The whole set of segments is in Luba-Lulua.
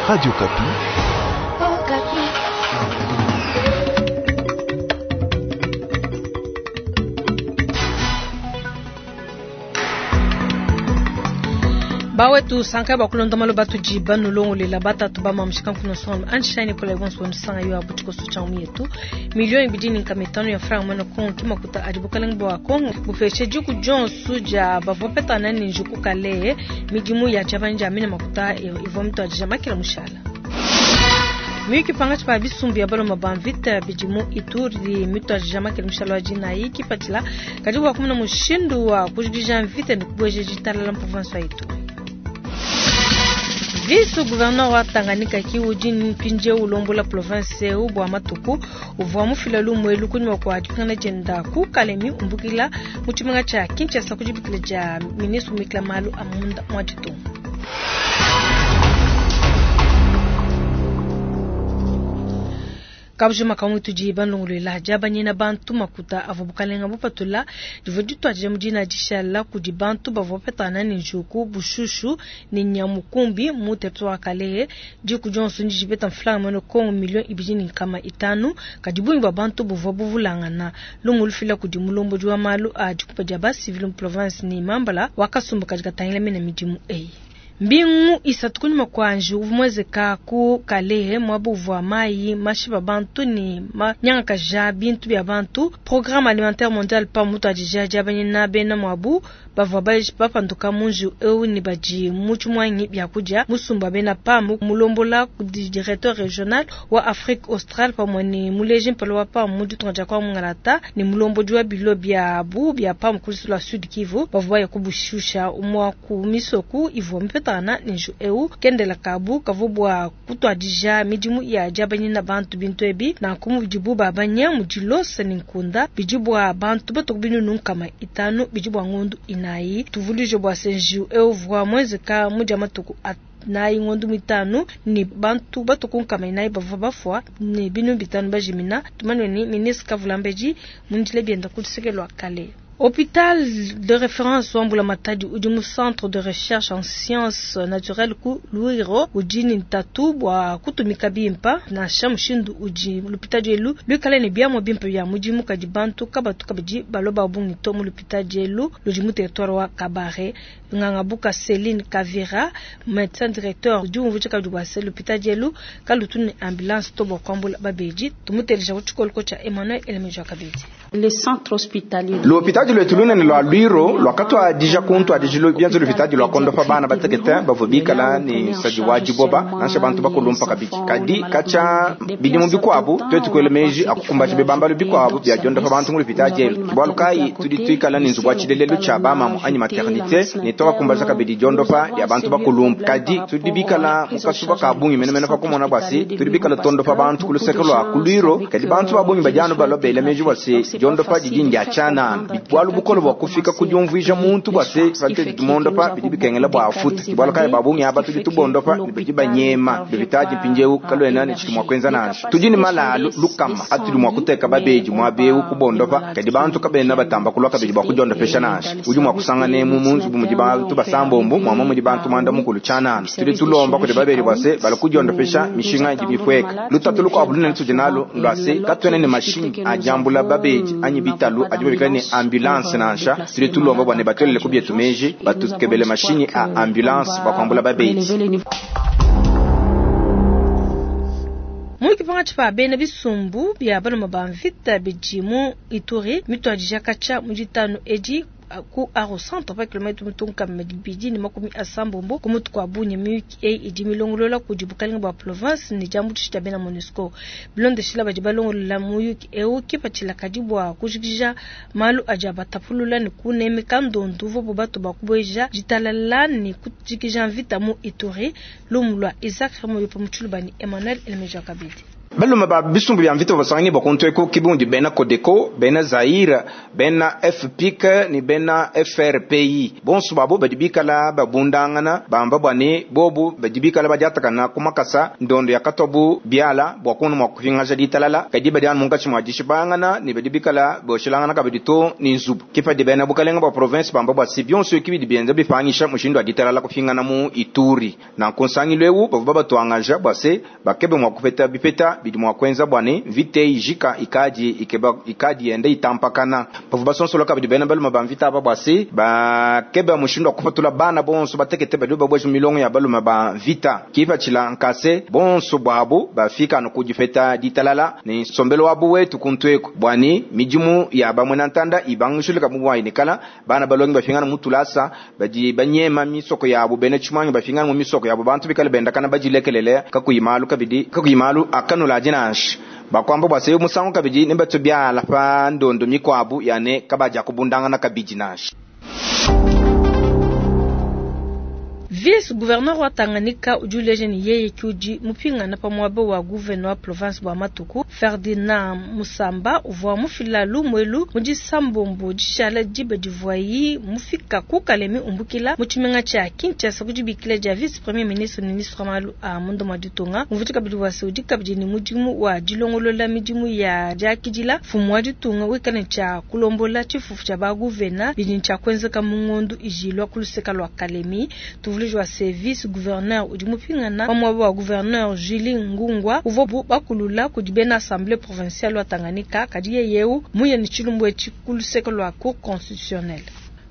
Radio Okapi. Bawetu sanka bakulonda malo batudi banulongolela batatu ba mamushika nkuno songo anshine kola bonso nsanga yo abutiko so cha yetu milioni bidini nkamitano ya franc mwana Kongo kimakuta adi bukalenge bwa Kongo bupeshe diku jonsu ja bavopeta nani njuku kale midimu ya jabanja mina makuta ivwa mtu adija makila mushala. Miyuki pangachi pa bisumbu ya baloma ba mvita bidimu Ituri mitu adija makila mushala wa jinayi kipatila kadi bwa kumuna mushindu wa kujidija mvita ni kubweje jitalala mprovince wa Ituri. Vice gouverneur wa Tanganyika ki udi mpindie ulombola province eu bua matuku uvua mufila lumue kunyima kua dipingana dienda ku Kalemi umbukila mu tshimenga tshia Kinshasa ku dibikila dia ministre umikila malu a munda mua ditunga. Kabujima kamwe tudi bandongoluela diabanyina bantu makuta avua bukalenga bupatula divua dituadija mu dina dishala kudi bantu bavua bapetana ne njuku bushushu ne nyamukumbi mu territoire wa Kalehe. Diku dionso ndi dipeta mfulanga mene Kongo milioni ibidi ne nkama itanu kadi bungi bua bantu buvua buvulangana. Lumu lufila kudi mulombodi wa malu a dikupa dia ba civil mu province ne mambala wa kasumbu kadi katangila mena midimu eyi. Mbingu isatu kunyima kua njiwu mwezeka ku Kalehe mwabo uvua mayi mashipa bantu ne manyangakaja bintu bia bantu. Programme alimentaire mondial pa mutu adija diabanyina bena mwabu bavua bapanduka mu njiwu eu ne badi mu tshimwangi bia kudia musumba bena PAM mulombola kudi directeur regional wa Afrique Australe pamue ne muleji mpala wa PAM mu ditunga dia kwa Mungalata ne mulombodi wa bilo biabu bia PAM ku luseke lua Sud Kivu bavua baya kubushusha umwa ku misoku ivua mipeta na nju eu kendela kabu kavua bua kutuadija midimu ya diabanyina bantu bintu ebi na kumudibu babanya mu dilosa ne nkunda bidi bua bantu batoku binunu nkama itanu bidi bua ngondu inayi. Tuvulije bua se nju eu vua mwezeka mu dia matuku nayi ngondu mitanu ni bantu batoku nkama inayi bavua bafua ne binu bitanu bajimina. Tumanye ni ministre Kavulambedi mundile bienda ku luseke lua Kale. Hôpital de référence wa Mbula Matadi udi mu centre de recherche en sciences naturelles ku Lwiro udi ni ntatu bua kutumika bimpa nansha mushindu udi l'hôpital elu luikale ne biamua bimpe bia mudimu kadi bantu kabatu kabidi baloba bungi to mu l'hôpital elu ludi mu territoire wa Kabare. Ngangabuka Céline Kavira médecin directeur udi umvuija kabidi bua se l'hôpital elu kalutu ne ambulance to bua kuambula babedi. Tumuteleja ku tshikoloko tshia Emmanuel Elemejo kabidi. Le centre hospitalier. L'hôpital lwetu lunene lwa Lwiro lwakatwadija kuntwadijilo byanzo lupitadi lwa kondopa bana batekete bavua bikala ne sadi wa diboba nansha bantu bakulumpa kabidi kadi kacha bidimu bikuabu twetu kuela meji akukumbaja bibambalu bikuabu bya diondopa bantu mu lupitadi elu bualu kayi tudi tuikala ne nzubu wa tshilelelu tshia bamamu anyi maternité ne tokakumbaja kabidi diondopa dia bantu bakulumpa kadi tudi bikala mu kasuba ka bungi menemene pa kumona bua se tudi bikala tondopa bantu ku luseke lua ku Lwiro kadi bantu ba bungi badi anu balobela meji bua se diondopa didi ndia tshianana bualu bukole bua kufika ku diumvuija muntu bua se pate tumondopa bidi bikengela bua afuta bualu kayi ba bungi aba tudi tubondopa ne bidi banyema bipitaji mpindiewu kaluena ne tshidi mua kuenza nansha tudi ne malalu lukama atudi mua kuteka babedi muaba eu kubondopa kadi bantu kabena batamba kulua kabidi bua kudiondopesha nansha udi mua kusangana emu mu nzubu mudi bantu basambombo muama mudi bantu muanda mukulu tshianana tudi tulomba kudi babedi bua se bala kudiondopesha mishinga idi mifueka lutatu lukuabu lunene tudi nalu lua se katuena ne mashinyi adiambula babedi anyi bitalu adi babikala ne ambulance nansha tudi tulomba bua ne batuelele ku bietu meji batukebele mashinyi a ambulance bua kuambula babedi. Muyuki pangatshi pa bena bisumbu bia baluma ba mvita bidi mu Ituri mituadija katshia mu ditanu edi ku Aro Centre pa kilomètre mutunka mibidi ne makumi asambombo ku mutu kua Bunia. Miyuki eyi idi milongolola kudi bukalenga bua province ne diambuluisha dia bena MONUSCO. Bilondeshila badi balongolola muyuki eu kipatshila kadi bua kujikija malu adi abatapulula ne kunemeka ndondu uvuabu batu ba kubueja ditalala ne kujikija mvita mu Ituri. Lumu lua Isaac Remoyope mu Tshiluba ne Emmanuel Elemeja kabidi. Balume ba bisumbu bia mvita basanganyibua kuntu eku kibundi bena Codeco, bena Zaire, bena FPIC ne bena FRPI. Bonso babo badi bikala babundangana bamba bua ne bobu badi bikala badiatakana ku makasa ndondo yakatwabu biala bua kuona mua kupingaja ditalala, kadi badi anu munkatshi mua dishipangana ne badi bikala boshelangana kabidi to ne nzubu. Kipadi bena bukalenga bua province bamba bua si bionso ekibi bienza bipangisha mushindu wa ditalala kupingana mu Ituri. Nanku nsangilu eu bavua babatuangaja bua se bakebe mua kupeta bipeta bidi mua kuenza bua ne mvita ijika ikadi ikeba ikadi yenda itampakana. Bavua basonsola kabidi bena balume ba mvita aba bua se bakebe mushindu wa kupatula bana bonso batekete badi babueja milongo ya balume ba mvita. Kipatshila nkase bonso bwabu bafika anu ku dipeta ditalala ne nsombelu wabu wetu kuntu eku bua ne midimu ya bamwe na ntanda ibangishilika mu bua inekala bana balongi bafingana mu tulasa badi banyema misoko yabo bena tshimanyi bafingana mu misoko yabo bantu bikale bendakana badilekelele kakuyi malu kabidi kakuyi malu akanula dinansha bakwamba bua se musangu kabidi ne batu biala pa ndondo mikwabu yane kabaja kubundangana kabidi nansha. Vice gouverneur wa Tanganyika udi uleja ne yeye ke udi mupingana pa muaba wa gouverneur wa province bua matuku. Ferdinand Musamba uvua mufila lumuelu mu disambombo dishala diba divuayi mufika ku Kalemi umbukila mu tshimenga tshia Kinshasa ku dibikila dia vice premier ministre ministre wa malu a munda mua ditunga. Umvuija kabidi bua se udi kabidi ne mudimu wa dilongolola midimu ya diakidila mfumu wa ditunga wikale ne tshia kulombola tshifufu tshia ba gouverneur bidi ne tshia kuenzeka mu ngondo ijilwa ku luseka lua Kalemi. Tuvuluji wa service gouverneur udi mupingana pa muaba wa gouverneur Julie Ngungwa uvua bakulula kudi bena assemblée provinciale wa Tanganyika, kadi yeye eu muye ne tshilumbu etshi ku luseke lua cour constitutionnelle.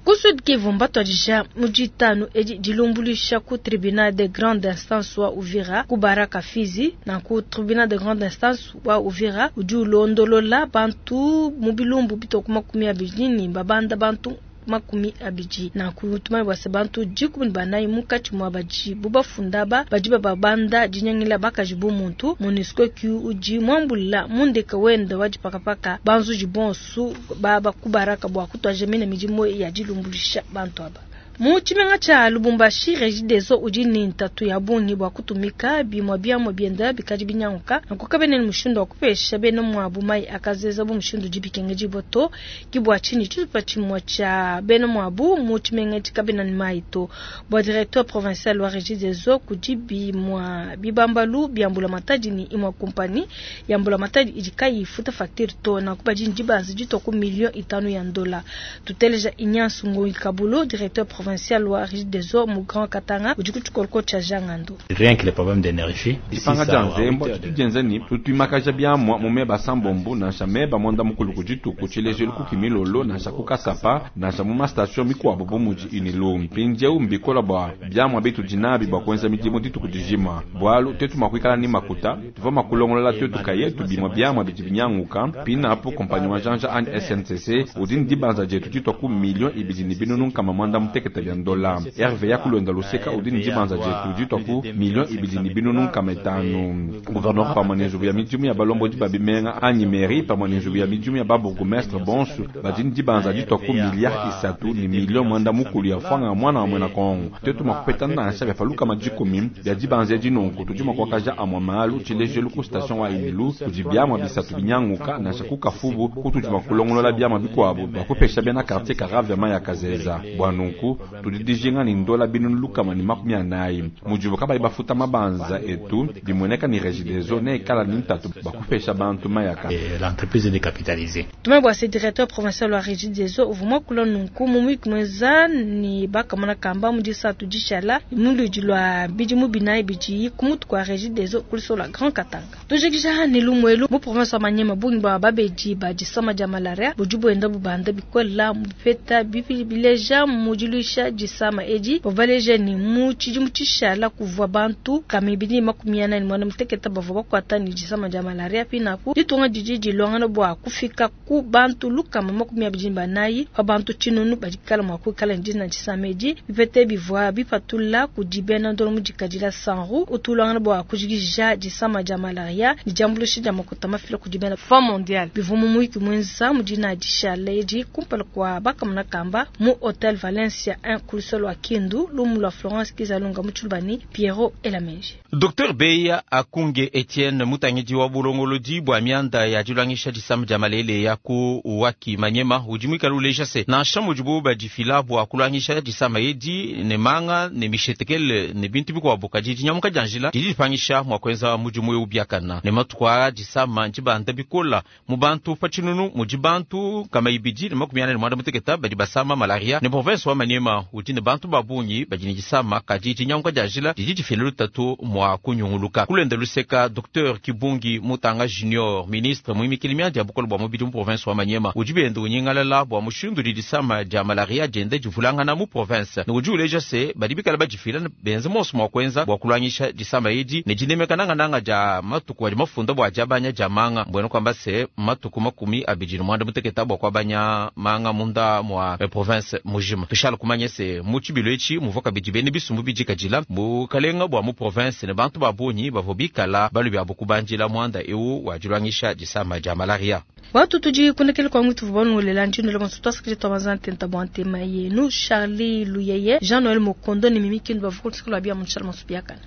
Ku Sud Kivu mbatuadija mu ditanu edi dilumbuluisha ku tribunal de grande instance wa Uvira ku Baraka Fizi. Na ku tribunal de grande instance wa Uvira udi ulondolola bantu mu bilumbu bitoku 20 ne babanda bantu 20. Nanku tumanye bua se bantu 14 munkatshi mua badi bubafunda ba badi bababanda dinyangila bakaji bu muntu. MONUSCO ki udi muambula mundeke wenda wa dipakapaka banzuji bonsu baba ku Baraka bua kutuaja mine midimu ya dilumbuluisha bantu aba. Mu tshimenga tshia Lubumbashi, Regideso udi ne ntatu ya bungi bua kutumika bimua biamua bienda bikadi binyanguka. Nanku kabena ne mushindu wa kupesha bena muabu mayi akazeza bu mushindu udi bikengedibua to. Ke bua tshinyi tshitupa tshimue tshia bena muabu mu tshimenga etshi kabena ne mayi to. Bua directeur provincial wa Regideso kudi bimua bibambalu bia mbulamatadi ne imue kompani ya mbulamatadi idi kayi ifuta facture to. Nanku badi ne dibanza ditua ku million 5 ya ndola. Tuteleja Ignace Ngoyi Kabulo, directeur provincial wa Regideso mu Grand Katanga udi ku tshikoloko tshia Jangando. Rien que les problèmes d'énergie. Dipanga dia nzembo tudienza ni tutuimakaja biamua mu meba sambombo nansha meba mwanda mukulu ku dituku tshilejelu ku kimilolo nansha ku kasapa nansha mu mastation mikuabu bu mudi inilu mpindieu mbikola bua biamua bitu dinabi bua kuenza midimu dituku dijima bualu tetu makuikala ni makuta tuvua makulongolola tetu kayetu bimua biamua bidi binyanguka pinapo kompanyi wa janja anyi SNCC udi ni dibanza dietu ditua ku million ibidi ni binunu nkama mwanda mutekete bya ndola RVA kulonda luseka udi ni dibanza dietu ditua ku million ibidi ni binunu nkama itanu. Gouverneur pamwe ne nzubu ya midimu ya balombodi ba bimenga anyi mairie pamwe ne nzubu ya midimu ya babourgmestre bonsu badi ni dibanza ditua ku milliard 3 ni million mwanda mukulu ya fwanga mwana wa mwena Kongo. Tetu makupeta nansha bya falukama dikumi bya dibanza dinonko tudi makwakaja amwa malu tshilejelu ku station wa Inilu kudi biamwa bisatu binyanguka nansha ku Kafubu kutudi makulongolola biamwa bikuabu bakupesha bena quartier Karavya maya kazeza. Bwa nunku tudi dijinga ni ndola binunu lukama ni 40 mujibu kabayi bafuta mabanza etu bimueneka ni Regideso ne ikala ni ntatu bakupesha bantu mayaka. L'entreprise est décapitalisée. Tumwe bwa se directeur provincial wa Regideso uvuma kula nunku mu mweza ni bakamana kamba mu disatu dishala muludi lwa bidimu binayi bidi kumutu kwa Regideso kulisola Grand Katanga. Tujikisha ni lumwelu mu province wa Manyema bungi bwa babedi ba disama dia malaria bujubu enda bubanda bikola mupeta bipi bileja mudilusha disama edi bavaleja ni mu tshidimu tshishala kuvua bantu kamibidi 48 muteketa bavua bakwata ni disama dia malaria pinapu ditunga didi dilongana bua kufika ku bantu lukama 24 pa bantu tshinunu badikala mua kuikala ndina disama edi bipete bivua bipatula kudi bena ndolo mudikadila sanru utulongana bua kujikija disama dia malaria ni diambuluisha dia makuta mafila kudi bena Fonds mondial bivua mu muiki mwenza mudina dishala edi kumpala kwa bakamuna kamba mu Hotel Valencia. 1 ku luseke lua Kindu. Lumu lua Florence Kizalunga mu Tshiluba ne Pierrot Elamenji. Dr Beya Akunge Etienne mutangidi wa bulongolodi bua mianda ya diluangisha disama dia malele ya ku Waki Manyema udi muikale uleja se nansha mudibu badifila bua kuluangisha disama edi ne manga ne mishetekele ne bintu bikuabu, kadi dinyamuka dia njila didi dipangisha mua kuenza mudimu eu biakana. Ne matuku aa disama ndibanda bikola mu bantu pa tshinunu mudi bantu nkama ibidi ne makumi anayi ne muanda muteketa badi basama malaria, ne province wa Maniema udi ne bantu ba bungi badi ne disama, kadi dinyanguka dia njila didi difila lutatu mua kunyunguluka. Kulenda luseka Dr Kibungi Mutanga Junior, ministre muimikili mianda ya bukole bua mubidi mu province wa Maniema, udi bienda unyingalala bua mushindu udi disama dia malaria dienda divulangana mu province, ne udi uleja se badi bikala badifila benze monso mua kuenza bua kuluangisha disama edi ne dinemeka nangananga dia matuku adi mafunda bua diabanya dia manga, mbuena kuamba se matuku 28 bua kuabanya manga munda mua province mujima. Tushala kumanya se mu tshibilu etshi muvua kabidi bene bisumbu bidikadila bukalenga bua mu province ne bantu ba bungi bavua bikala balu biabu kubandila muanda eu wa diluangisha disama dia malaria. Watu tudi kunekele kwa mwitu vubanu lela njino le bonso twasakije twabanza ntenta bua ntema yenu Charlie Luyeye, Jean Noël Mokondo ne Mimi Kindu bavua kuluseke lua bia mu Charles Masubiakana.